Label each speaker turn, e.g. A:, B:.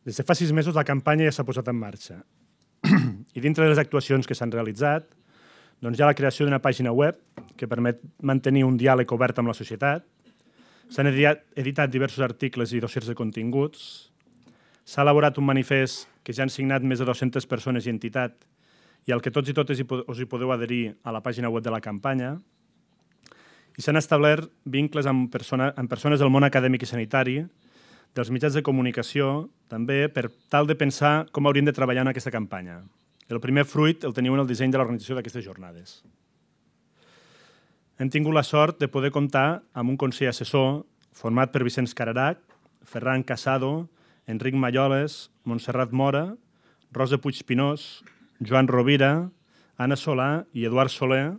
A: Des de fa 6 mesos la campanya ja s'ha posat en marxa. I dintre de les actuacions que s'han realitzat, hi ha la creació d'una pàgina web que permet mantenir un diàleg obert amb la societat, s'han editat diversos articles i dossiers de continguts, s'ha elaborat un manifest que ja han signat més de 200 persones i entitats i al que tots i totes us hi podeu adherir a la pàgina web de la campanya, i s'han establert vincles amb persones del món acadèmic i sanitari, dels mitjans de comunicació, també per tal de pensar com hauríem de treballar en aquesta campanya. El primer fruit el teniu en el disseny de l'organització d'aquestes jornades. Hem tingut la sort de poder comptar amb un consell assessor format per Vicenç Cararach, Ferran Casado, Enric Malloles, Montserrat Mora, Rosa Puigpinós, Joan Rovira, Anna Solà i Eduard Soler,